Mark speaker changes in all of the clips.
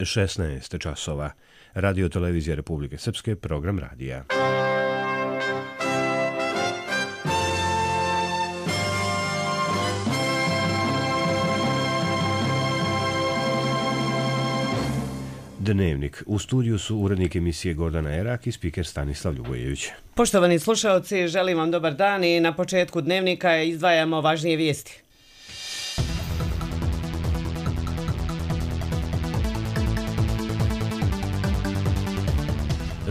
Speaker 1: 16 časova. Radio televizija Republike Srpske, program radija. Dnevnik. U studiju su urednik emisije Gordana Erak i spiker Stanislav Ljubojević.
Speaker 2: Poštovani slušaoci, želim vam dobar dan i na početku dnevnika izdvajamo važnije vijesti.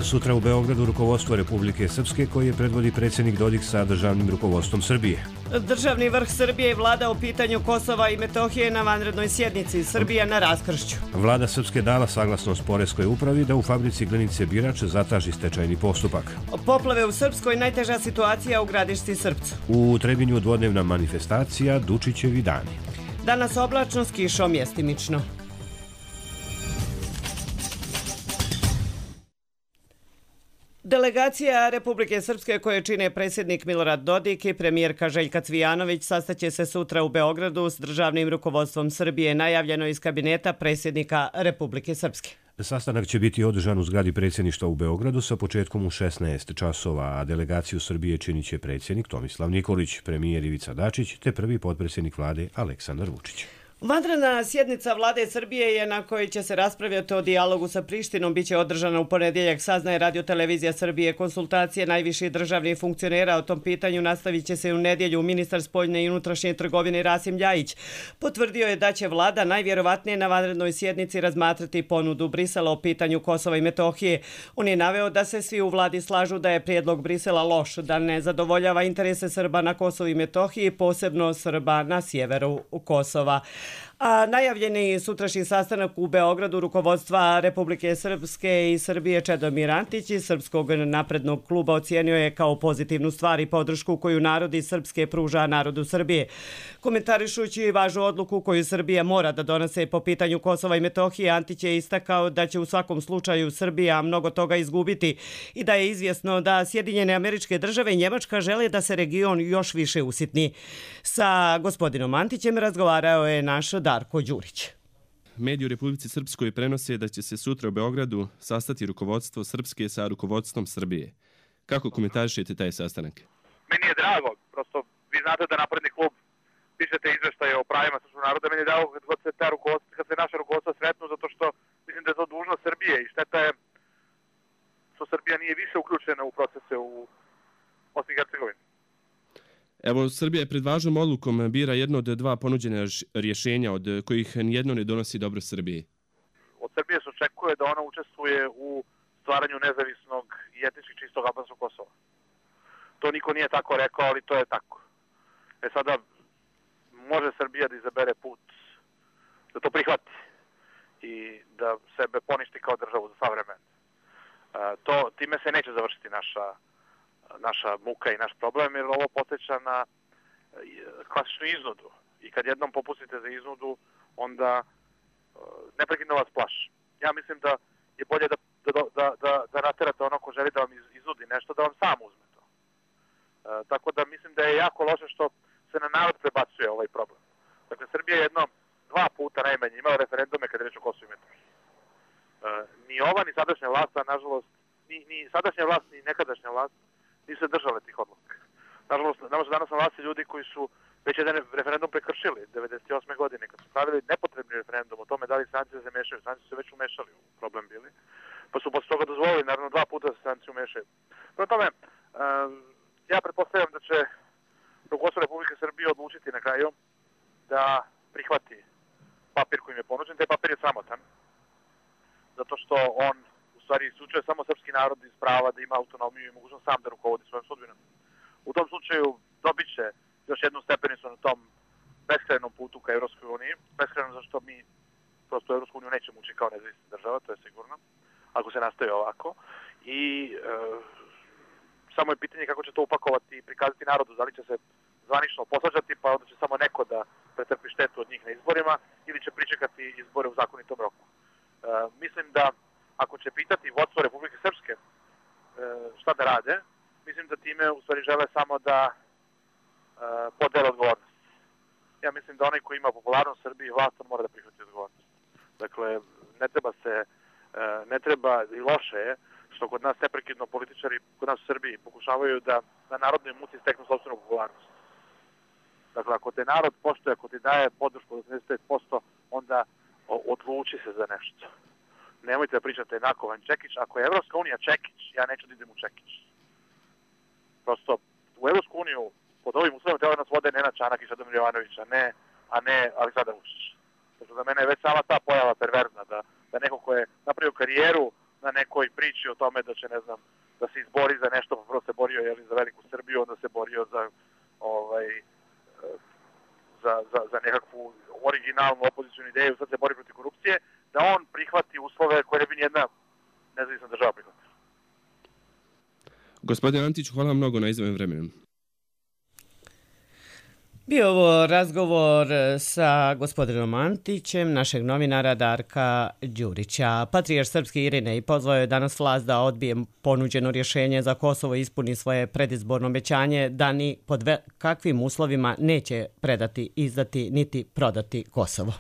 Speaker 1: Sutra u Beogradu rukovodstvo Republike Srpske koje predvodi predsjednik Dodik sa državnim rukovodstvom Srbije.
Speaker 2: Državni vrh Srbije i vlada o pitanju Kosova i Metohije na vanrednoj sjednici. Srbija na raskršću.
Speaker 1: Vlada Srpske dala saglasnost poreskoj upravi da u fabrici Glinice Birač zatraži stečajni postupak.
Speaker 2: Poplave u Srpskoj, najteža situacija u Gradišci Srpcu.
Speaker 1: U Trebinju dvodnevna manifestacija Dučićevi dani.
Speaker 2: Danas oblačno s kišom mjestimično. Delegacija Republike Srpske koje čine predsjednik Milorad Dodik i premijerka Željka Cvijanović sastaće se sutra u Beogradu s državnim rukovodstvom Srbije, najavljeno iz kabineta predsjednika Republike Srpske.
Speaker 1: Sastanak će biti održan u zgradi predsjedništva u Beogradu sa početkom u 16 časova, a delegaciju Srbije činit će predsjednik Tomislav Nikolić, premijer Ivica Dačić te prvi potpredsjednik vlade Aleksandar Vučić.
Speaker 2: Vanredna sjednica vlade Srbije je na kojoj će se raspravljati o dijalogu sa Prištinom biće održana u ponedjeljak, saznaje Radio televizija Srbije. Konsultacije najviših državnih funkcionera o tom pitanju nastavit će se u nedjelju. Ministar spoljne i unutrašnje trgovine Rasim Ljajić potvrdio je da će vlada najvjerovatnije na vanrednoj sjednici razmatrati ponudu Brisela o pitanju Kosova i Metohije. On je naveo da se svi u vladi slažu da je prijedlog Brisela loš, da ne zadovoljava interese Srba na Kosovu i Metohiji, posebno Srba na sjeveru Kosova. A najavljeni sutrašnji sastanak u Beogradu rukovodstva Republike Srpske i Srbije Čedomir Antić iz Srpskog naprednog kluba ocijenio je kao pozitivnu stvar i podršku koju narod iz Srpske pruža narodu Srbije. Komentarišući važnu odluku koju Srbija mora da donese po pitanju Kosova i Metohije, Antić je istakao da će u svakom slučaju Srbija mnogo toga izgubiti i da je izvjesno da Sjedinjene Američke Države i Njemačka žele da se region još više usitni. Sa gospodinom Antićem razgovarao je naš Darko Đurić.
Speaker 3: Mediji u Republici Srpskoj prenose da će se sutra u Beogradu sastati rukovodstvo Srpske sa rukovodstvom Srbije. Kako komentarišete taj sastanak?
Speaker 4: Meni je drago, prosto vi znate da Napredni klub pišete izveštaje o pravima srpskog naroda, meni je drago kad se naša rukovodstva sretnu, zato što mislim da je to dužnost Srbije i šteta je što Srbija nije više uključena u procese u Bosni i Hercegovini.
Speaker 3: Evo, Srbija je pred važnom odlukom bira jedno od dva ponuđene rješenja od kojih nijedno ne donosi dobro Srbiji.
Speaker 4: Od Srbije se očekuje da ona učestvuje u stvaranju nezavisnog i etnički čistog albanskog Kosova. To niko nije tako rekao, ali to je tako. Sada može Srbija da izabere put da to prihvati i da sebe poništi kao državu za sva vremena. Time se neće završiti naša muka i naš problem, jer ovo podsjeća na klasičnu iznudu. I kad jednom popustite za iznudu, onda neprekidno vas plaši. Ja mislim da je bolje da naterate ono ko želi da vam iznudi nešto, da vam sam uzme to. Tako da mislim da je jako loše što se na narod prebacuje ovaj problem. Dakle, Srbija je dva puta najmanje imala referendume kad je reč o Kosovu i Metohiji. Ni ova, ni sadašnja vlast, a nažalost, ni sadašnja vlast, ni nekadašnja vlast nisu se držale tih odluka. Nažalost, danas na vlasti ljudi koji su već jedan referendum prekršili 1998. godine, kad su pravili nepotrebni referendum o tome da li stranci se mešaju. Stranci su se već umešali u problem bili, pa su posle toga dozvolili, naravno, dva puta da se stranci umešaju. Prema tome, ja pretpostavljam da će rukovodstvo Republike Srbije odlučiti na kraju da prihvati papir koji im je ponuđen. Taj papir je sramotan, zato što on u stvari isključuje samo srpski narod iz prava da ima autonomiju i mogućnost sam da rukovodi svojom sudbinom. U tom slučaju dobit će još jednu stepenicu na tom beskrajnom putu ka Evropskoj uniji. Beskrajnom zašto mi prosto Evropsku uniju nećemo ući kao nezavisna država, to je sigurno, ako se nastavi ovako. I samo je pitanje kako će to upakovati i prikazati narodu. Da li će se zvanično posvađati, pa onda će samo neko da pretrpi štetu od njih na izborima, ili će pričekati izbore u zakonitom roku. Mislim da ako će pitati vodstvo Republike Srpske šta da rade, mislim da time u stvari žele samo da podele odgovornost. Ja mislim da onaj koji ima popularnost u Srbiji, vlast, on mora da prihvati odgovornost. Dakle, ne treba i loše je što kod nas neprekidno političari, kod nas u Srbiji, pokušavaju da na narodnoj muci steknu sopstvenu popularnost. Dakle, ako te narod poštuje, ako ti daje podršku od 85%, onda odluči se za nešto. Nemojte da pričate Nakovan Čekić. Ako je Evropska unija Čekić, ja neću da idem u Čekić. Prosto, u Evropsku uniju pod ovim uslovima treba nas vode Nenad Čanak i Čedomir Jovanović, a ne Aleksandar Vučić. Znači, za mene je već sama ta pojava perverzna, da neko ko je napravio karijeru na nekoj priči o tome da će, ne znam, da se izbori za nešto, pa prvo se borio za veliku Srbiju, onda se borio za nekakvu originalnu opozicijnu ideju, sad se bori protiv korupcije, da on prihvati uslove koje ne bi nijedna nezavisna država prihvatila.
Speaker 3: Gospodin Antić, hvala mnogo na izdvojenom vremenu.
Speaker 2: Bio ovo razgovor sa gospodinom Antićem, našeg novinara Darka Đurića. Patrijarh srpski Irinej pozvao je danas vlast da odbije ponuđeno rješenje za Kosovo i ispuni svoje predizborno obećanje da ni pod kakvim uslovima neće predati, izdati niti prodati Kosovo.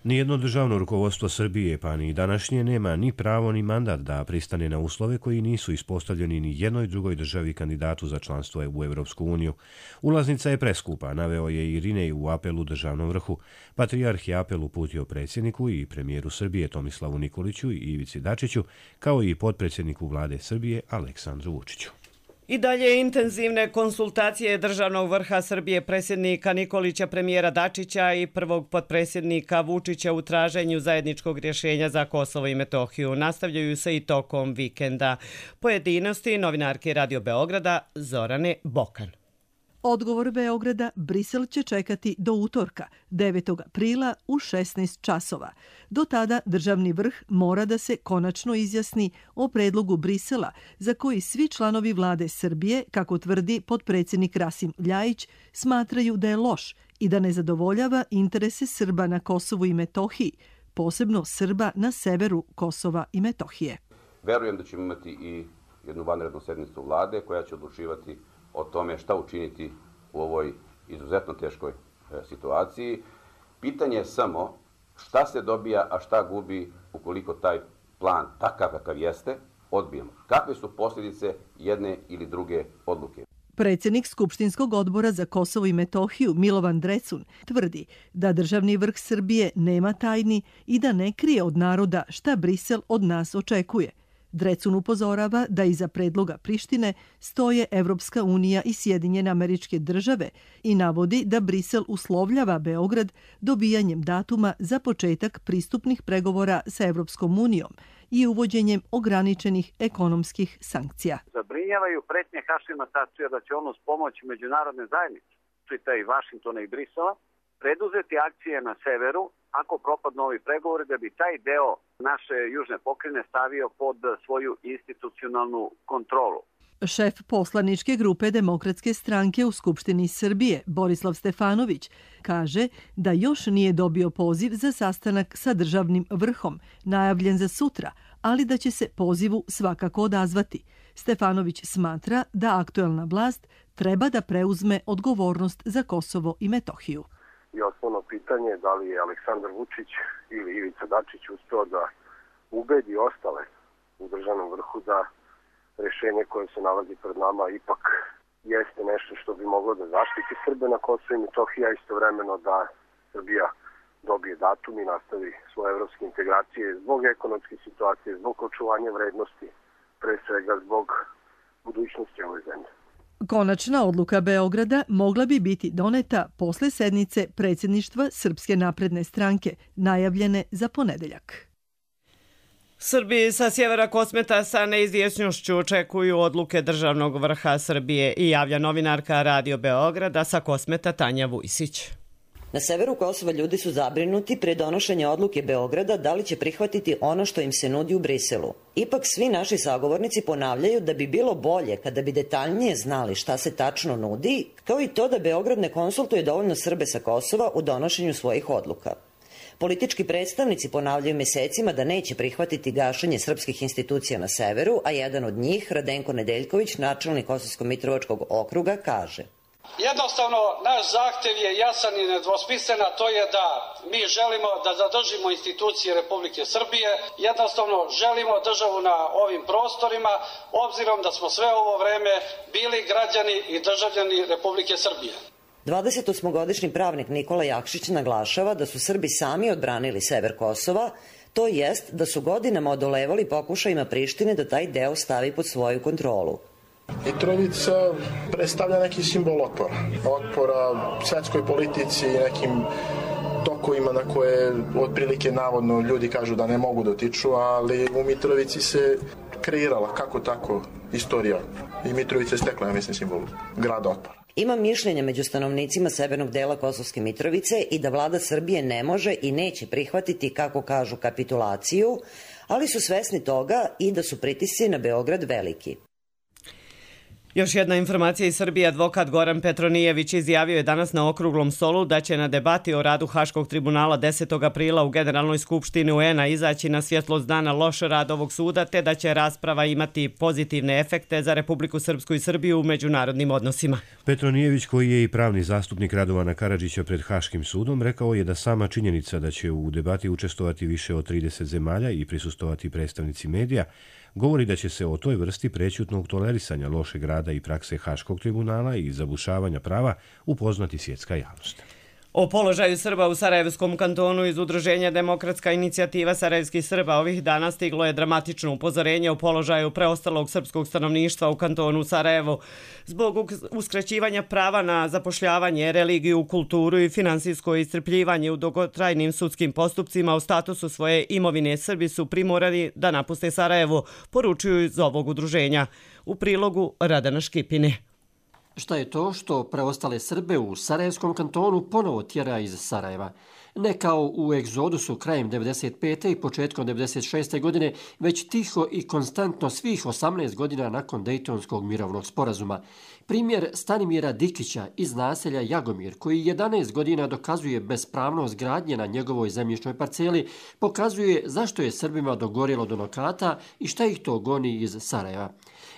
Speaker 1: Nijedno državno rukovodstvo Srbije, pa ni današnje, nema ni pravo ni mandat da pristane na uslove koji nisu ispostavljeni ni jednoj drugoj državi kandidatu za članstvo u Evropsku uniju. Ulaznica je preskupa, naveo je Irinej u apelu državnom vrhu. Patrijarh je apel uputio predsjedniku i premijeru Srbije Tomislavu Nikoliću i Ivici Dačiću, kao i potpredsjedniku vlade Srbije Aleksandru Vučiću.
Speaker 2: I dalje intenzivne konsultacije državnog vrha Srbije, predsjednika Nikolića, premijera Dačića i prvog potpredsjednika Vučića u traženju zajedničkog rješenja za Kosovo i Metohiju nastavljaju se i tokom vikenda. Pojedinosti novinarke Radio Beograda Zorane Bokan.
Speaker 5: Odgovor Beograda Brisel će čekati do utorka, 9. aprila u 16 časova. Do tada državni vrh mora da se konačno izjasni o predlogu Brisela, za koji svi članovi vlade Srbije, kako tvrdi potpredsjednik Rasim Ljajić, smatraju da je loš i da ne zadovoljava interese Srba na Kosovu i Metohiji, posebno Srba na severu Kosova i Metohije.
Speaker 6: Verujem da ćemo imati i jednu vanrednu sednicu vlade koja će odlučivati o tome šta učiniti u ovoj izuzetno teškoj situaciji. Pitanje je samo šta se dobija, a šta gubi ukoliko taj plan, takav kakav jeste, odbijemo. Kakve su posljedice jedne ili druge odluke?
Speaker 5: Predsjednik Skupštinskog odbora za Kosovo i Metohiju Milovan Drecun tvrdi da državni vrh Srbije nema tajni i da ne krije od naroda šta Brisel od nas očekuje. Drecun upozorava da iza predloga Prištine stoje Evropska unija i Sjedinjene Američke Države i navodi da Brisel uslovljava Beograd dobijanjem datuma za početak pristupnih pregovora sa Evropskom unijom i uvođenjem ograničenih ekonomskih sankcija.
Speaker 7: Zabrinjavaju pretnje Hašima Tačija da će on uz pomoć međunarodne zajednice, čita i Vašingtona i Brisela, preduzeti akcije na severu ako propadnu ovi pregovori, da bi taj deo naše južne pokrajine stavio pod svoju institucionalnu kontrolu.
Speaker 5: Šef poslaničke grupe Demokratske stranke u Skupštini Srbije, Borislav Stefanović, kaže da još nije dobio poziv za sastanak sa državnim vrhom, najavljen za sutra, ali da će se pozivu svakako odazvati. Stefanović smatra da aktuelna vlast treba da preuzme odgovornost za Kosovo i Metohiju.
Speaker 8: I osnovno pitanje je da li je Aleksandar Vučić ili Ivica Dačić uspeo da ubedi ostale u državnom vrhu da rješenje koje se nalazi pred nama ipak jeste nešto što bi moglo da zaštiti Srbe na Kosovu i Metohiji, a istovremeno da Srbija dobije datum i nastavi svoje evropske integracije zbog ekonomske situacije, zbog očuvanja vrednosti, pre svega zbog budućnosti ove zemlje.
Speaker 5: Konačna odluka Beograda mogla bi biti doneta posle sednice predsjedništva Srpske napredne stranke, najavljene za ponedeljak.
Speaker 2: Srbi sa sjevera Kosmeta sa neizvjesnošću očekuju odluke državnog vrha Srbije i javlja novinarka Radio Beograda sa Kosmeta Tanja Vujsić.
Speaker 9: Na severu Kosova ljudi su zabrinuti pre donošenja odluke Beograda da li će prihvatiti ono što im se nudi u Briselu. Ipak svi naši sagovornici ponavljaju da bi bilo bolje kada bi detaljnije znali šta se tačno nudi, kao i to da Beograd ne konsultuje dovoljno Srbe sa Kosova u donošenju svojih odluka. Politički predstavnici ponavljaju mesecima da neće prihvatiti gašenje srpskih institucija na severu, a jedan od njih, Radenko Nedeljković, načelnik Kosovsko-Mitrovačkog okruga, kaže:
Speaker 10: Jednostavno, naš zahtev je jasan i nedvosmislen, a to je da mi želimo da zadržimo institucije Republike Srbije. Jednostavno, želimo državu na ovim prostorima, obzirom da smo sve ovo vreme bili građani i državljani Republike Srbije.
Speaker 9: 28-godišnji pravnik Nikola Jakšić naglašava da su Srbi sami odbranili sever Kosova, to jest da su godinama odolevali pokušajima Prištine da taj deo stavi pod svoju kontrolu.
Speaker 11: Mitrovica predstavlja neki simbol otpora svetskoj politici i nekim tokovima na koje otprilike navodno ljudi kažu da ne mogu dotiču, ali u Mitrovici se kreirala kako tako istorija i Mitrovica je stekla, ja mislim, simbol grada otpora.
Speaker 9: Ima mišljenja među stanovnicima severnog dela Kosovske Mitrovice i da vlada Srbije ne može i neće prihvatiti, kako kažu, kapitulaciju, ali su svesni toga i da su pritisci na Beograd veliki.
Speaker 2: Još jedna informacija iz Srbije. Advokat Goran Petronijević izjavio je danas na okruglom stolu da će na debati o radu Haškog tribunala 10. aprila u Generalnoj skupštini UN-a izaći na svjetlost dana loš rad ovog suda, te da će rasprava imati pozitivne efekte za Republiku Srpsku i Srbiju u međunarodnim odnosima.
Speaker 1: Petronijević, koji je i pravni zastupnik Radovana Karadžića pred Haškim sudom, rekao je da sama činjenica da će u debati učestvovati više od 30 zemalja i prisustovati predstavnici medija govori da će se o toj vrsti prećutnog tolerisanja lošeg rada i prakse Haškog tribunala i zabušavanja prava upoznati svjetska javnost.
Speaker 2: O položaju Srba u Sarajevskom kantonu iz udruženja Demokratska inicijativa sarajevskih Srba ovih dana stiglo je dramatično upozorenje o položaju preostalog srpskog stanovništva u kantonu Sarajevo. Zbog uskraćivanja prava na zapošljavanje, religiju, kulturu i finansijsko iscrpljivanje u dugotrajnim sudskim postupcima o statusu svoje imovine, Srbi su primorani da napuste Sarajevo, poručuju iz ovog udruženja. U prilogu Radana Škipine.
Speaker 12: Šta je to što preostale Srbe u Sarajevskom kantonu ponovo tjera iz Sarajeva? Ne kao u egzodusu krajem 1995. i početkom 1996. godine, već tiho i konstantno svih 18 godina nakon Dejtonskog mirovnog sporazuma. Primjer Stanimira Dikića iz naselja Jagomir, koji 11 godina dokazuje bespravnost gradnje na njegovoj zemljišnoj parceli, pokazuje zašto je Srbima dogorjelo do nokata i šta ih to goni iz Sarajeva.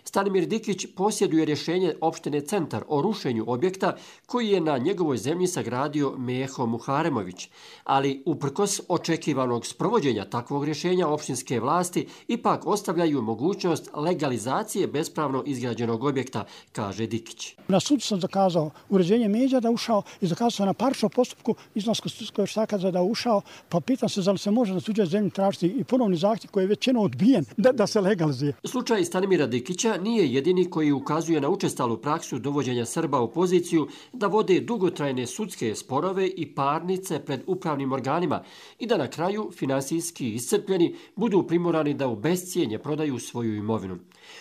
Speaker 12: Stanimir Dikić posjeduje rješenje opštine Centar o rušenju objekta koji je na njegovoj zemlji sagradio Meho Muharemović, ali uprkos očekivanog sprovođenja takvog rješenja opštinske vlasti ipak ostavljaju mogućnost legalizacije bespravno izgrađenog objekta, kaže Dikić.
Speaker 13: Na sudu sam zakazao uređenje međa da ušao i zakazao sam na parčnom postupku iznoskog štaka da ušao, pa pitam se da li se može na tuđoj zemlji tražiti i ponovni zahtjev koji je već odbijen da se legalizuje.
Speaker 12: Slučaj Stanimira Dikića nije jedini koji ukazuje na učestalu praksu dovođenja Srba u poziciju da vode dugotrajne sudske sporove i parnice pred upravnim organima i da na kraju finansijski iscrpljeni budu primorani da u bescijenje prodaju svoju imovinu.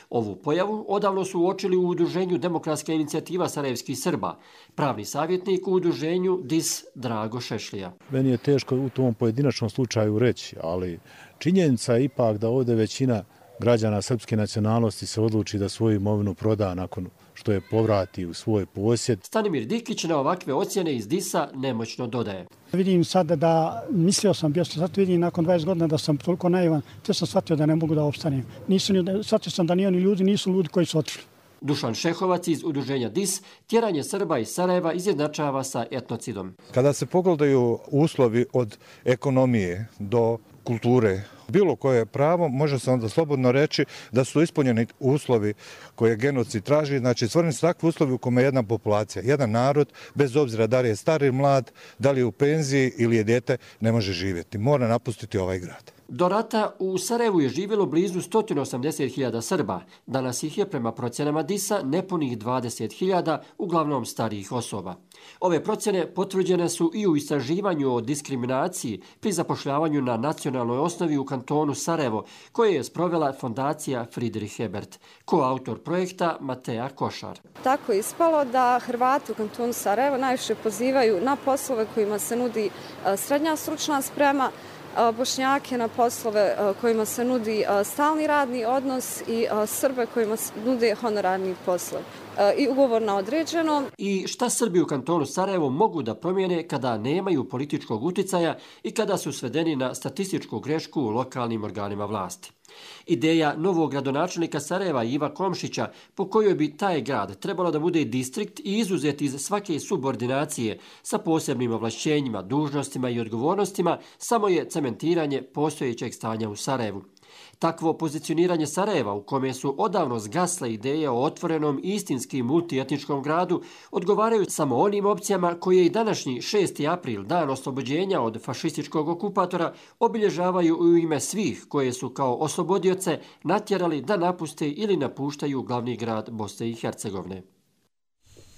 Speaker 12: Ovu pojavu odavno su uočili u udruženju Demokratska inicijativa sarajevskih Srba, pravni savjetnik u udruženju DIS Drago Šešlija.
Speaker 14: Meni je teško u tom pojedinačnom slučaju reći, ali činjenica je ipak da ovdje većina građana srpske nacionalnosti se odluči da svoju imovinu proda nakon što je povrati u svoj posjed.
Speaker 12: Stanimir Dikić na ovakve ocjene iz DIS-a nemoćno dodaje.
Speaker 13: Vidim sada da, mislio sam, sad vidim nakon 20 godina da sam toliko naivan, te sam shvatio da ne mogu da opstanem. Shvatio sam da ni oni ljudi nisu ljudi koji su otišli.
Speaker 12: Dušan Šehovac iz udruženja DIS tjeranje Srba iz Sarajeva izjednačava sa etnocidom.
Speaker 14: Kada se pogledaju uslovi od ekonomije do kulture, bilo koje pravo, može se onda slobodno reći da su ispunjeni uslovi koje genocid traži. Znači, stvoreni su takvi uslovi u kome jedna populacija, jedan narod, bez obzira da li je star ili mlad, da li je u penziji ili je dijete, ne može živjeti. Mora napustiti ovaj grad.
Speaker 12: Do rata u Sarajevu je živjelo blizu 180.000 Srba. Danas ih je prema procjenama DIS-a nepunih 20.000, uglavnom starijih osoba. Ove procjene potvrđene su i u istraživanju o diskriminaciji pri zapošljavanju na nacionalnoj osnovi u kantonu Sarajevo, koje je sprovela fondacija Friedrich Ebert, koautor projekta Mateja Košar.
Speaker 15: Tako je ispalo da Hrvati u kantonu Sarajevo najviše pozivaju na poslove kojima se nudi srednja stručna sprema, Bošnjake na poslove kojima se nudi stalni radni odnos i Srbe kojima se nude honorarni poslovi i ugovor na određeno.
Speaker 12: I šta Srbi u kantonu Sarajevo mogu da promijene kada nemaju političkog uticaja i kada su svedeni na statističku grešku u lokalnim organima vlasti? Ideja novog gradonačelnika Sarajeva Iva Komšića, po kojoj bi taj grad trebalo da bude distrikt i izuzet iz svake subordinacije sa posebnim ovlašćenjima, dužnostima i odgovornostima, samo je cementiranje postojećeg stanja u Sarajevu. Takvo pozicioniranje Sarajeva, u kome su odavno zgasle ideje o otvorenom istinski multietničkom gradu, odgovaraju samo onim opcijama koje i današnji 6. april, dan oslobođenja od fašističkog okupatora, obilježavaju u ime svih koje su kao oslobodioce natjerali da napuste ili napuštaju glavni grad Bosne i Hercegovine.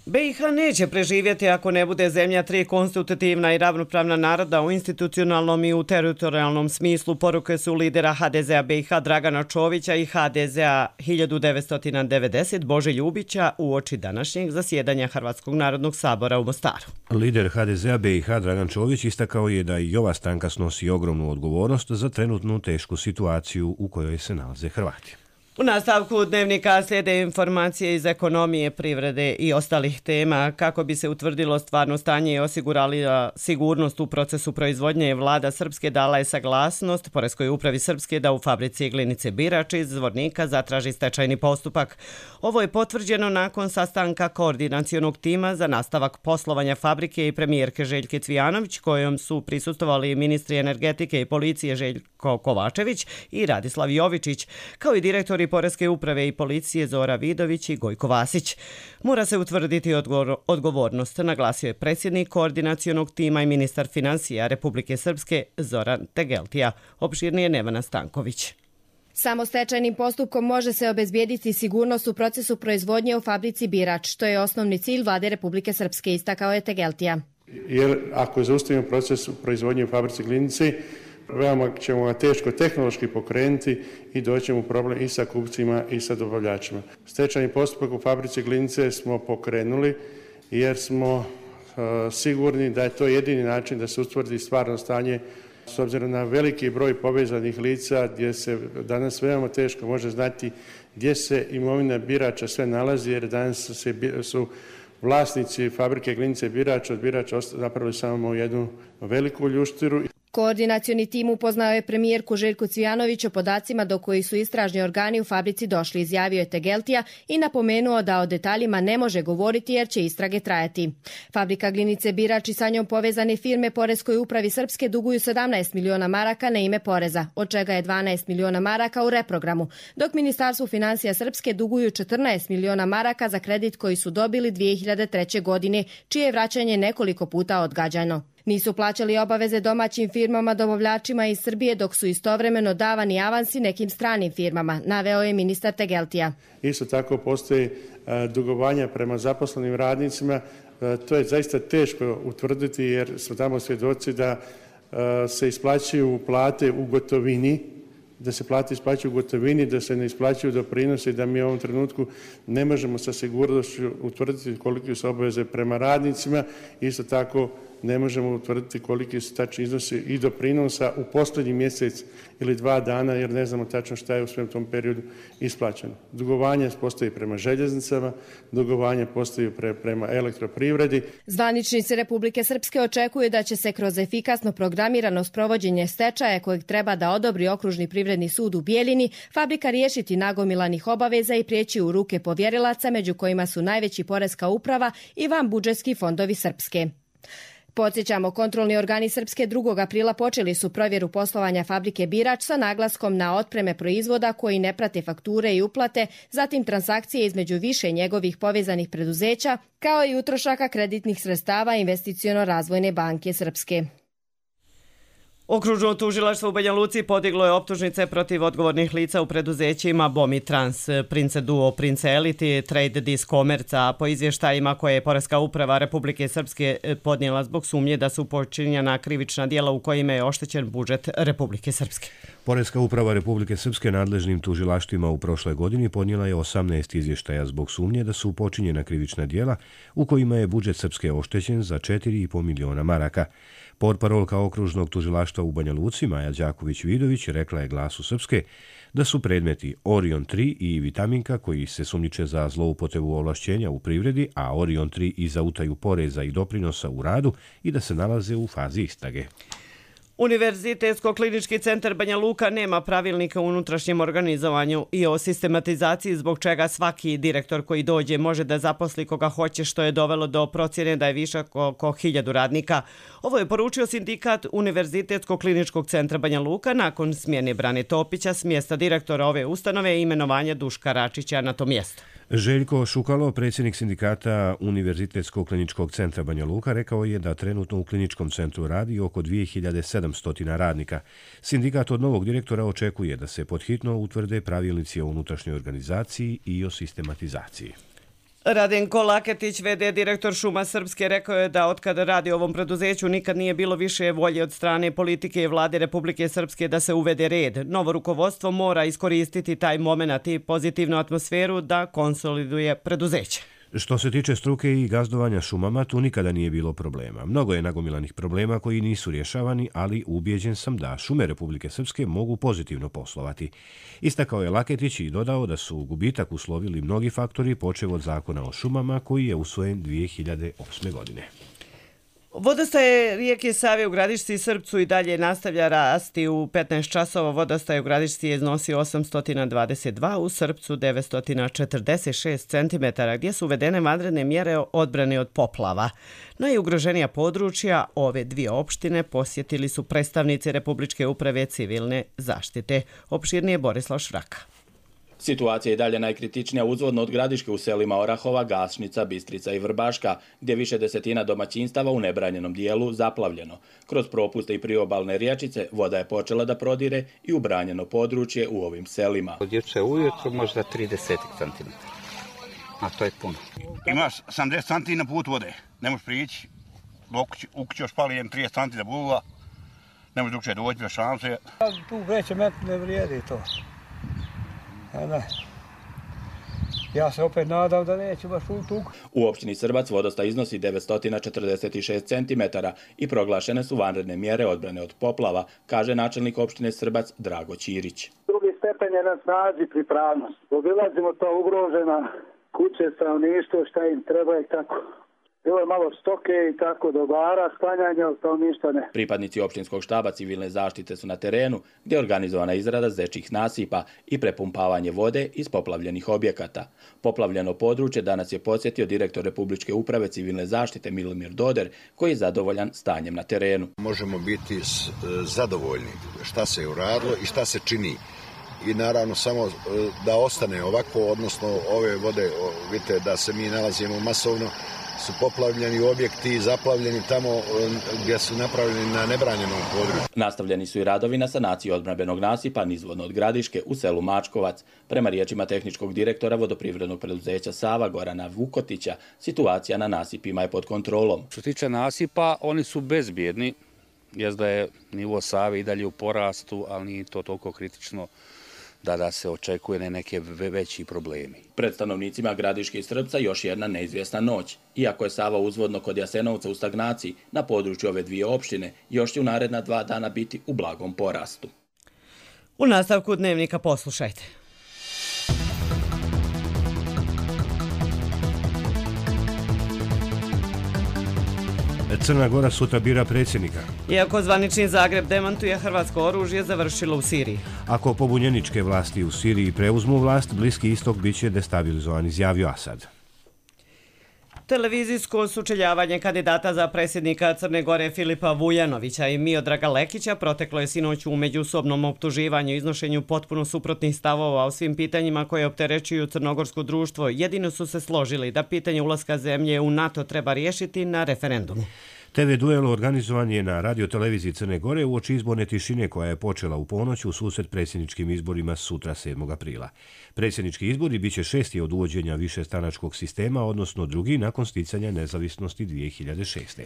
Speaker 2: BiH neće preživjeti ako ne bude zemlja tri konstitutivna i ravnopravna naroda u institucionalnom i u teritorijalnom smislu, poruke su lidera HDZ-a BiH Dragana Čovića i HDZ-a 1990 Bože Ljubića uoči današnjeg zasjedanja Hrvatskog narodnog sabora u Mostaru.
Speaker 1: Lider HDZ-a BiH Dragan Čović istakao je da i ova stranka snosi ogromnu odgovornost za trenutnu tešku situaciju u kojoj se nalaze Hrvati.
Speaker 2: U nastavku dnevnika slijede informacije iz ekonomije, privrede i ostalih tema. Kako bi se utvrdilo stvarno stanje i osigurala sigurnost u procesu proizvodnje, vlada Srpske dala je saglasnost Poreskoj upravi Srpske da u fabrici Glinice Birač iz Zvornika zatraži stečajni postupak. Ovo je potvrđeno nakon sastanka koordinacionog tima za nastavak poslovanja fabrike i premijerke Željke Cvijanović, kojom su prisustvovali ministri energetike i policije Željko Kovačević i Radislav Jovičić, kao i direktori Poreske uprave i policije Zora Vidović i Gojko Vasić. Mora se utvrditi odgovornost, naglasio je predsjednik koordinacionog tima i ministar financija Republike Srpske Zoran Tegeltija. Opširnije Nevana Stanković.
Speaker 16: Samo stečajnim postupkom može se obezbijediti sigurnost u procesu proizvodnje u fabrici Birač. To je osnovni cilj vlade Republike Srpske, istakao je Tegeltija.
Speaker 17: Jer ako zaustavimo proces proizvodnje u fabrici Glinice, veoma ćemo ga teško tehnološki pokrenuti i doćemo u problem i sa kupcima i sa dobavljačima. Stečajni postupak u fabrici Glinice smo pokrenuli jer smo sigurni da je to jedini način da se utvrdi stvarno stanje s obzirom na veliki broj povezanih lica gdje se danas veoma teško može znati gdje se imovina Birača sve nalazi, jer danas su vlasnici fabrike Glinice Birač od Birača napravili samo jednu veliku ljuštiru.
Speaker 16: Koordinacioni tim upoznao je premijerku Željku Cvijanović o podacima do kojih su istražni organi u fabrici došli, izjavio je Tegeltija i napomenuo da o detaljima ne može govoriti jer će istrage trajati. Fabrika Glinice Birač i sa njom povezane firme Poreskoj upravi Srpske duguju 17 miliona maraka na ime poreza, od čega je 12 miliona maraka u reprogramu, dok Ministarstvu financija Srpske duguju 14 miliona maraka za kredit koji su dobili 2003. godine, čije je vraćanje nekoliko puta odgađano. Nisu plaćali obaveze domaćim firmama dobavljačima iz Srbije, dok su istovremeno davani avansi nekim stranim firmama, naveo je ministar Tegeltija.
Speaker 17: Isto tako postoji dugovanja prema zaposlenim radnicima. To je zaista teško utvrditi jer su tamo svjedoci da se isplaćuju plate u gotovini, da se plate isplaćuju u gotovini, da se ne isplaćuju doprinosi, da mi u ovom trenutku ne možemo sa sigurnošću utvrditi kolike su obaveze prema radnicima. Isto tako ne možemo utvrditi koliki su tačni iznosi i doprinosa u posljednji mjesec ili 2 dana, jer ne znamo tačno šta je u svem tom periodu isplaćeno. Dugovanje postoji prema željeznicama, dugovanje postoji prema elektroprivredi.
Speaker 16: Zvaničnici Republike Srpske očekuju da će se kroz efikasno programirano sprovođenje stečaja kojeg treba da odobri Okružni privredni sud u Bijeljini, fabrika riješiti nagomilanih obaveza i prijeći u ruke povjerilaca, među kojima su najveći Poreska uprava i vanbudžetski fondovi Srpske. Podsjećamo, kontrolni organi Srpske 2. aprila počeli su provjeru poslovanja fabrike Birač sa naglaskom na otpreme proizvoda koji ne prate fakture i uplate, zatim transakcije između više njegovih povezanih preduzeća, kao i utrošaka kreditnih sredstava Investiciono-razvojne banke Srpske.
Speaker 2: Okružno tužilaštvo u Banja Luci podiglo je optužnice protiv odgovornih lica u preduzećima Bomi Trans, Prince Duo, Prince Elite, Trade Dis Commerce, a po izvještajima koje je Poreska uprava Republike Srpske podnijela zbog sumnje da su počinjena krivična djela u kojima je oštećen budžet Republike Srpske.
Speaker 1: Poreska uprava Republike Srpske nadležnim tužilaštvima u prošloj godini podnijela je 18 izvještaja zbog sumnje da su počinjena krivična djela u kojima je budžet Srpske oštećen za 4,5 miliona maraka. Portparolka okružnog tužilaštva u Banja Luci, Maja Đaković-Vidović, rekla je Glasu Srpske da su predmeti Orion 3 i Vitaminka, koji se sumnjiče za zloupotrebu ovlašćenja u privredi, a Orion 3 i za utaju poreza i doprinosa u radu, i da se nalaze u fazi istrage.
Speaker 2: Univerzitetsko-klinički centar Banja Luka nema pravilnika o unutrašnjem organizovanju i o sistematizaciji, zbog čega svaki direktor koji dođe može da zaposli koga hoće, što je dovelo do procjene da je višak oko 1000 radnika. Ovo je poručio sindikat Univerzitetsko-kliničkog centra Banja Luka nakon smjene Brane Topića s mjesta direktora ove ustanove i imenovanja Duška Račića na to mjesto.
Speaker 1: Željko Šukalo, predsjednik sindikata Univerzitetsko-kliničkog centra Banja Luka, rekao je da trenutno u kliničkom centru radi oko 2700 radnika. Sindikat od novog direktora očekuje da se podhitno utvrde pravilnici o unutrašnjoj organizaciji i o sistematizaciji.
Speaker 2: Radenko Laketić, v.d. direktor Šuma Srpske, rekao je da otkada radi u ovom preduzeću nikad nije bilo više volje od strane politike i vlade Republike Srpske da se uvede red. Novo rukovodstvo mora iskoristiti taj moment i pozitivnu atmosferu da konsoliduje preduzeće.
Speaker 1: Što se tiče struke i gazdovanja šumama, tu nikada nije bilo problema. Mnogo je nagomilanih problema koji nisu rješavani, ali ubijeđen sam da šume Republike Srpske mogu pozitivno poslovati. Istakao je Laketić i dodao da su gubitak uslovili mnogi faktori, počev od zakona o šumama koji je usvojen 2008. godine.
Speaker 2: Vodostaje rijeke Save u Gradišci i Srpcu i dalje nastavlja rasti. U 15 časova vodostaje u Gradišci je iznosio 822, u Srpcu 946 cm, gdje su uvedene vanredne mjere odbrane od poplava. Najugroženija područja ove dvije opštine posjetili su predstavnici Republičke uprave civilne zaštite. Opširnije Borislav Švraka.
Speaker 18: Situacija je dalje najkritičnija uzvodno od Gradiške u selima Orahova, Gašnica, Bistrica i Vrbaška, gdje više desetina domaćinstava u nebranjenom dijelu zaplavljeno. Kroz propuste i priobalne riječice voda je počela da prodire i u branjeno područje u ovim selima.
Speaker 19: Od juče ujutru možda 30 cm, a to je puno.
Speaker 20: Imaš 70 cm na put vode, ne možeš prići, u kuću još pali 30 cm da buva, ne možeš drugče doći bez šanse.
Speaker 21: Tu veće met ne vrijedi to. Ja se opet nadam da neću baš u tuku.
Speaker 18: U opštini Srbac vodostaj iznosi 946 cm i proglašene su vanredne mjere odbrane od poplava, kaže načelnik opštine Srbac Drago Ćirić.
Speaker 22: Drugi stepen je na snazi pripravnost. Obilazimo to ugrožena kuće, stanovništvo, šta im treba i tako. Bilo je malo stoke i tako dobara, sklanjanja, ali to ništa ne.
Speaker 18: Pripadnici opštinskog štaba civilne zaštite su na terenu, gdje je organizovana izrada zečjih nasipa i prepumpavanje vode iz poplavljenih objekata. Poplavljeno područje danas je posjetio direktor Republičke uprave civilne zaštite Milomir Doder, koji je zadovoljan stanjem na terenu.
Speaker 23: Možemo biti zadovoljni šta se je uradilo i šta se čini. I naravno samo da ostane ovako, odnosno ove vode, vidite da se mi nalazimo masovno, su poplavljeni objekti, zaplavljeni tamo gdje su napravljeni na nebranjenom području.
Speaker 18: Nastavljeni su i radovi na sanaciji odbrambenog nasipa nizvodno od Gradiške u selu Mačkovac. Prema riječima tehničkog direktora vodoprivrednog preduzeća Sava Gorana Vukotića, situacija na nasipima je pod kontrolom.
Speaker 24: Što se tiče nasipa, oni su bezbjedni, jest da je nivo Save i dalje u porastu, ali nije to toliko kritično da se očekuje neke veći problemi.
Speaker 18: Pred stanovnicima Gradiške i Srpca još jedna neizvjesna noć. Iako je Sava uzvodno kod Jasenovca u stagnaciji, na području ove dvije opštine još će u naredna 2 dana biti u blagom porastu.
Speaker 2: U nastavku dnevnika poslušajte.
Speaker 1: Crna Gora sutra bira predsjednika.
Speaker 2: Iako zvanični Zagreb demantuje, hrvatsko oružje završilo u Siriji.
Speaker 1: Ako pobunjeničke vlasti u Siriji preuzmu vlast, Bliski istok biće destabilizovan, izjavio Asad.
Speaker 2: Televizijsko sučeljavanje kandidata za predsjednika Crne Gore Filipa Vujanovića i Miodraga Lekića proteklo je sinoć u međusobnom optuživanju i iznošenju potpuno suprotnih stavova o svim pitanjima koje opterećuju crnogorsko društvo. Jedino su se složili da pitanje ulaska zemlje u NATO treba riješiti na referendumu.
Speaker 1: TV duel organizovan je na radioteleviziji Crne Gore uoči izborne tišine koja je počela u ponoć u susret predsjedničkim izborima sutra 7. aprila. Predsjednički izbori biće 6. od uvođenja višestranačkog sistema, odnosno drugi nakon sticanja nezavisnosti 2006.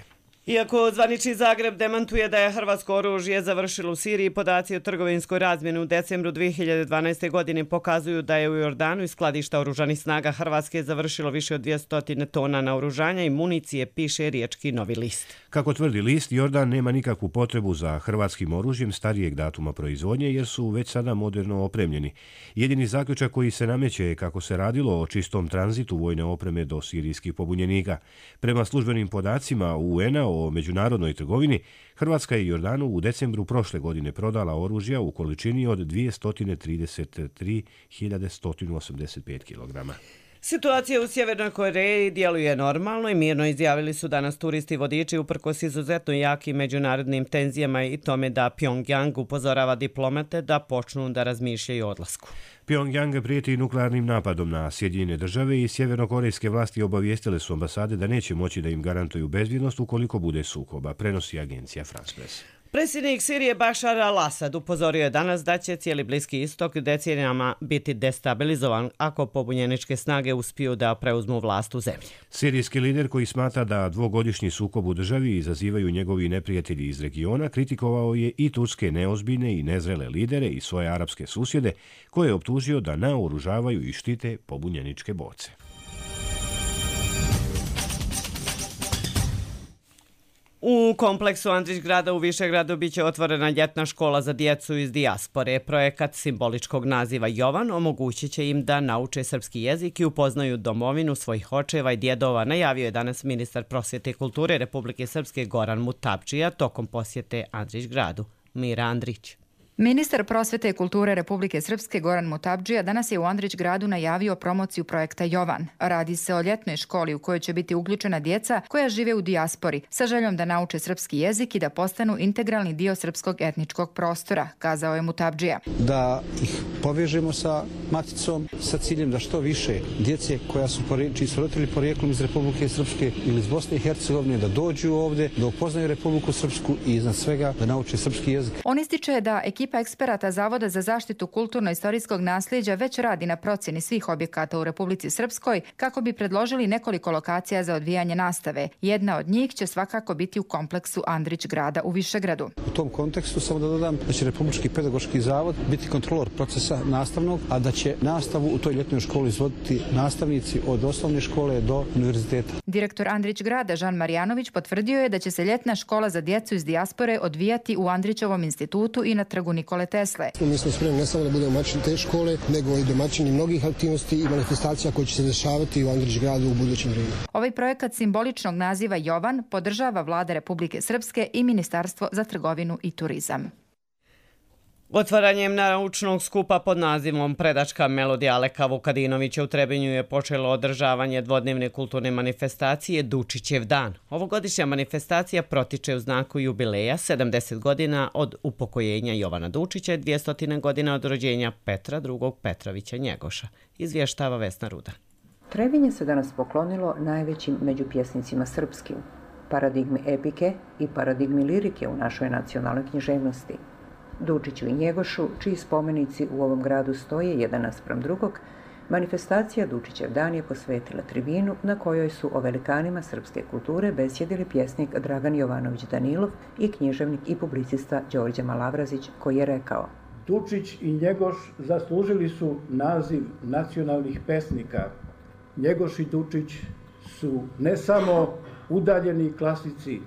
Speaker 2: Iako zvanični Zagreb demantuje da je hrvatsko oružje završilo u Siriji, podaci o trgovinskoj razmjeni u decembru 2012. godine pokazuju da je u Jordanu iz skladišta oružanih snaga Hrvatske završilo više od 200 tona naoružanja i municije, piše riječki Novi list.
Speaker 1: Kako tvrdi list, Jordan nema nikakvu potrebu za hrvatskim oružjem starijeg datuma proizvodnje jer su već sada moderno opremljeni. Jedini zaključak koji se nameće je kako se radilo o čistom tranzitu vojne opreme do sirijskih pobunjenika. Prema službenim podacima UN-a o međunarodnoj trgovini, Hrvatska je Jordanu u decembru prošle godine prodala oružja u količini od 233.185 kg.
Speaker 2: Situacija u Sjevernoj Koreji djeluje normalno i mirno, izjavili su danas turisti i vodiči uprkos izuzetno jakim međunarodnim tenzijama i tome da Pjongjang upozorava diplomate da počnu da razmišljaju o odlasku.
Speaker 1: Pjongjang prijeti nuklearnim napadom na Sjedinjene države i sjevernokorejske vlasti obavijestile su ambasade da neće moći da im garantuju bezbjednost ukoliko bude sukoba, prenosi agencija France Press.
Speaker 2: Predsjednik Sirije Bašar al-Asad upozorio je danas da će cijeli Bliski istok decenijama biti destabilizovan ako pobunjeničke snage uspiju da preuzmu vlast u zemlji.
Speaker 1: Sirijski lider koji smatra da dvogodišnji sukob u državi izazivaju njegovi neprijatelji iz regiona kritikovao je i turske neozbiljne i nezrele lidere i svoje arapske susjede koje je optužio da naoružavaju i štite pobunjeničke borce.
Speaker 2: U kompleksu Andrićgrada u Višegradu biće otvorena ljetna škola za djecu iz dijaspore. Projekat simboličkog naziva Jovan omogućit će im da nauče srpski jezik i upoznaju domovinu svojih očeva i djedova, najavio je danas ministar prosvjete i kulture Republike Srpske Goran Mutapdžija tokom posjete Andrićgradu. Mira Andrić.
Speaker 3: Ministar prosvete i kulture Republike Srpske Goran Mutapdžija danas je u Andrićgradu najavio promociju projekta Jovan. Radi se o ljetnoj školi u kojoj će biti uključena djeca koja žive u dijaspori sa željom da nauče srpski jezik i da postanu integralni dio srpskog etničkog prostora, kazao je Mutapdžija.
Speaker 4: Da ih povežemo sa maticom sa ciljem da što više djece čiji su roditelji porijeklom iz Republike Srpske ili iz Bosne i Hercegovine da dođu ovdje, da upoznaju Republiku Srpsku i iznad svega da nauče srpski jezik.
Speaker 3: On ističe da ekipa eksperata Zavoda za zaštitu kulturno-istorijskog nasljeđa već radi na procjeni svih objekata u Republici Srpskoj kako bi predložili nekoliko lokacija za odvijanje nastave. Jedna od njih će svakako biti u kompleksu Andrićgrada u Višegradu.
Speaker 4: U tom kontekstu samo da dodam da će Republički pedagoški zavod biti kontrolor procesa nastavnog, a da će nastavu u toj ljetnoj školi izvoditi nastavnici od osnovne škole do univerziteta.
Speaker 3: Direktor Andrićgrada Žan Marjanović potvrdio je da će se ljetna škola za djecu iz dijaspore odvijati u Andrićevom institutu i na trgu Nikole Tesle.
Speaker 6: Mi smo spremni ne samo da budemo domaćini te škole, nego i domaćini mnogih aktivnosti i manifestacija koje će se dešavati u Andrićgradu u budućem vremenu.
Speaker 3: Ovaj projekat simboličnog naziva Jovan podržava Vlada Republike Srpske i Ministarstvo za trgovinu i turizam.
Speaker 2: Otvaranjem naučnog skupa pod nazivom Predačka melodija Aleka Vukadinovića u Trebinju je počelo održavanje dvodnevne kulturne manifestacije Dučićev dan. Ovogodišnja manifestacija protiče u znaku jubileja 70 godina od upokojenja Jovana Dučića i 200 godina od rođenja Petra II. Petrovića Njegoša, izvještava Vesna Ruda.
Speaker 7: Trebinje se danas poklonilo najvećim među pjesnicima srpskim, paradigmi epike i paradigmi lirike u našoj nacionalnoj književnosti. Dučiću i Njegošu, čiji spomenici u ovom gradu stoje jedan naspram drugog, manifestacija Dučićev dan je posvetila tribinu na kojoj su o velikanima srpske kulture besjedili pjesnik Dragan Jovanović Danilov i književnik i publicista Đorđe Malavrazić, koji je rekao:
Speaker 25: Dučić i Njegoš zaslužili su naziv nacionalnih pesnika. Njegoš i Dučić su ne samo udaljeni klasici,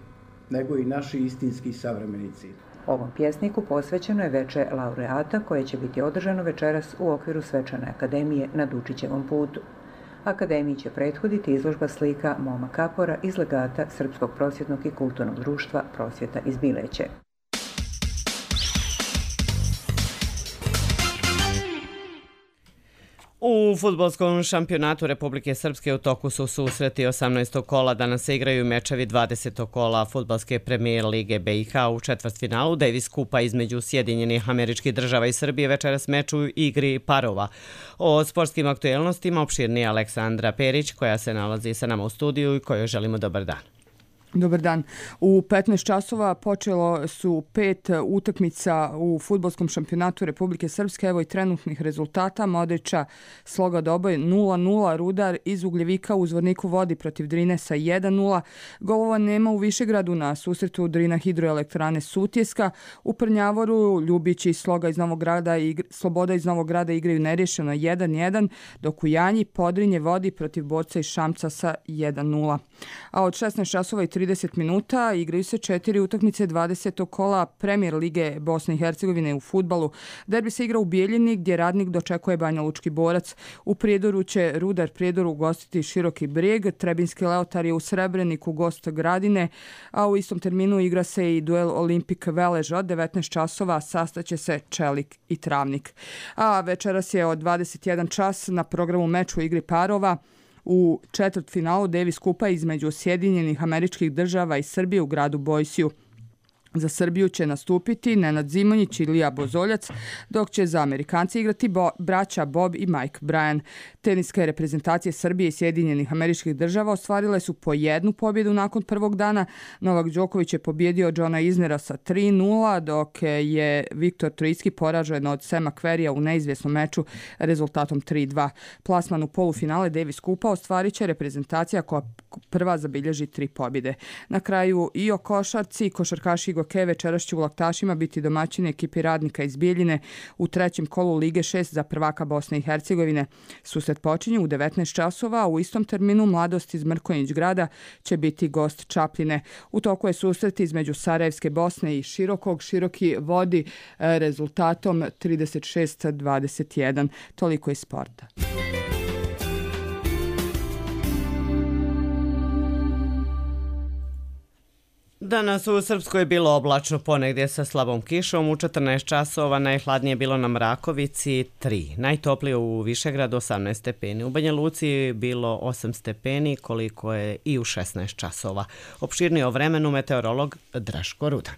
Speaker 25: nego i naši istinski savremenici.
Speaker 7: Ovom pjesniku posvećeno je veče laureata koje će biti održano večeras u okviru Svečane akademije na Dučićevom putu. Akademiji će prethoditi izložba slika Moma Kapora iz legata Srpskog prosvjetnog i kulturnog društva Prosvjeta iz Bileće.
Speaker 2: U fudbalskom šampionatu Republike Srpske u toku su susreti 18. kola. Danas se igraju mečevi 20. kola fudbalske premijer lige BiH u četvrtfinalu Davis Kupa između Sjedinjenih Američkih Država i Srbije večeras meč u igri parova. O sportskim aktuelnostima opširnije Aleksandra Perić, koja se nalazi sa nama u studiju i kojoj želimo dobar dan.
Speaker 26: Dobar dan. U 15 časova počelo su 5 utakmica u fudbalskom šampionatu Republike Srpske. Evo i trenutnih rezultata. Modrića Sloga Doboj 0-0, Rudar iz Ugljevika u Zvorniku vodi protiv Drine sa 1-0. Golova nema u Višegradu na susretu Drina Hidroelektrane Sutjeska. U Prnjavoru Ljubić i Sloga iz Novog Grada i Sloboda iz Novog Grada igraju nerješeno 1-1, dok u Janji Podrinje vodi protiv Borca iz Šamca sa 1-0. A od 16 časova i 30 30 minuta igraju se 4 utakmice 20. kola Premier lige Bosne i Hercegovine u fudbalu. Derbi se igra u Bijeljini gdje Radnik dočekuje Banja Lučki Borac. U Prijedoru će Rudar Prijedor ugostiti Široki Brijeg, Trebinski Leotar je u Srebreniku gost Gradine, a u istom terminu igra se i duel Olimpik Velež od 19 časova, sastaće se Čelik i Travnik. A večeras je od 21 čas na programu meč u igri parova u četvrtfinalu Davis Kupa između Sjedinjenih Američkih Država i Srbije u gradu Bojsiju. Za Srbiju će nastupiti Nenad Zimonjić i Lija Bozoljac, dok će za Amerikanci igrati braća Bob i Mike Bryan. Teniske reprezentacije Srbije i Sjedinjenih Američkih Država ostvarile su po 1 pobjedu nakon prvog dana. Novak Đoković je pobjedio Johna Isnera sa 3-0, dok je Viktor Troicki poražen od Sema Querrya u neizvjesnom meču rezultatom 3-2. Plasman u polufinale Davis Kupa ostvarit će reprezentacija koja prva zabilježi 3 pobjede. Na kraju i o košarci, košarkaši Goke večeras će u Laktašima biti domaćini ekipi Radnika iz Bijeljine u trećem kolu Lige 6 za prvaka Bosne i Hercegovine. Susret počinje u 19 časova, a u istom terminu Mladost iz Mrkonjić grada će biti gost Čapljine. U toku je susret između Sarajevske Bosne i Širokog. Široki vodi rezultatom 36-21. Toliko iz sporta.
Speaker 2: Danas u Srpskoj je bilo oblačno, ponegdje sa slabom kišom. U 14 časova najhladnije bilo na Mrakovici 3. Najtoplije u Višegradu 18 stepeni. U Banja Luci bilo 8 stepeni, koliko je i u 16 časova. Opširnije o vremenu meteorolog Draško Rudan.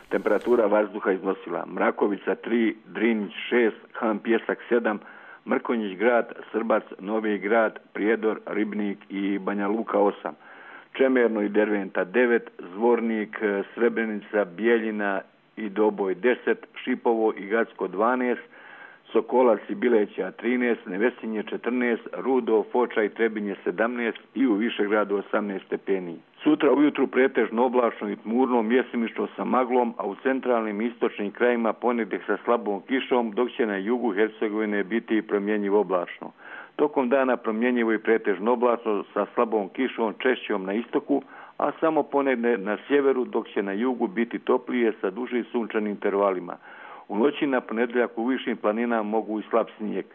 Speaker 5: Temperatura vazduha iznosila Mrakovica 3, Drinjić 6, Han Pjesak 7, Mrkonjić grad, Srbac, Novi grad, Prijedor, Ribnik i Banja Luka 8. Čemerno i Derventa 9, Zvornik, Srebrenica, Bijeljina i Doboj 10, Šipovo i Gacko 12, Sokolac i Bileća 13, Nevesinje 14, Rudo, Foča i Trebinje 17 i u Višegradu 18 stepeni. Sutra ujutru pretežno oblačno i tmurno, mjesimično sa maglom, a u centralnim i istočnim krajima ponegdje sa slabom kišom, dok će na jugu Hercegovine biti promjenjivo oblačno. Tokom dana promjenjivo i pretežno oblačno sa slabom kišom češćom na istoku, a samo ponegdje na sjeveru, dok će na jugu biti toplije sa dužim sunčanim intervalima. U noći na ponedjeljak u višim planinama mogu i slab snijeg.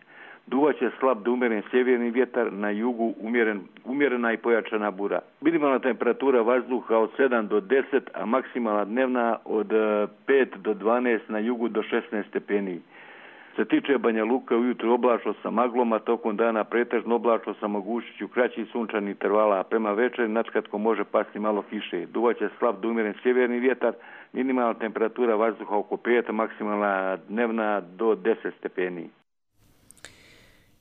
Speaker 5: Duvaće slab do umjeren sjeverni vjetar, na jugu umjerena i pojačana bura. Minimalna temperatura vazduha od 7 do 10, a maksimalna dnevna od 5 do 12, na jugu do 16 stepeni. Se tiče Banja Luka, ujutro oblačno sa maglom, a tokom dana pretežno oblačno sa mogućnošću kraćih sunčanih intervala, a prema večeri načkratko može pasti malo kiše. Duvaće slab do umjeren sjeverni vjetar, minimalna temperatura vazduha oko 5, maksimalna dnevna do 10 stepeni.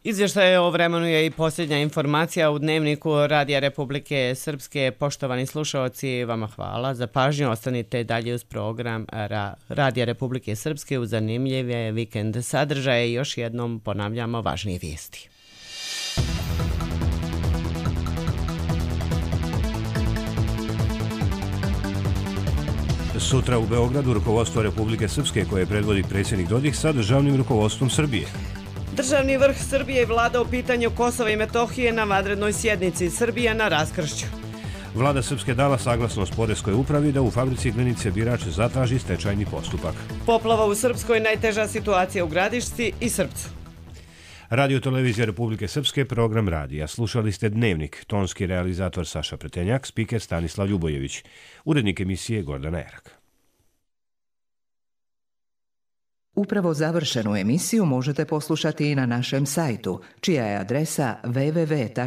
Speaker 2: Izvještaj o vremenu je i posljednja informacija u Dnevniku Radija Republike Srpske. Poštovani slušalci, vama hvala za pažnju. Ostanite dalje uz program Radija Republike Srpske u zanimljive vikend sadržaje. Još jednom ponavljamo važnije vijesti.
Speaker 1: Sutra u Beogradu rukovodstvo Republike Srpske koje predvodi predsjednik Dodik sa državnim rukovodstvom Srbije.
Speaker 2: Državni vrh Srbije i vlada o pitanju Kosova i Metohije na vanrednoj sjednici. Srbija na raskršću.
Speaker 1: Vlada Srpske dala saglasnost poreskoj upravi da u fabrici Glinice Birač zatraži stečajni postupak.
Speaker 2: Poplava u Srpskoj, najteža situacija u Gradišci i Srpcu.
Speaker 1: Radio Televizija Republike Srpske, program radija. Slušali ste Dnevnik, tonski realizator Saša Pretenjak, spiker Stanislav Ljubojević, urednik emisije Gordana Erak.
Speaker 8: Upravo završenu emisiju možete poslušati i na našem sajtu, čija je adresa www.rtrs.tv.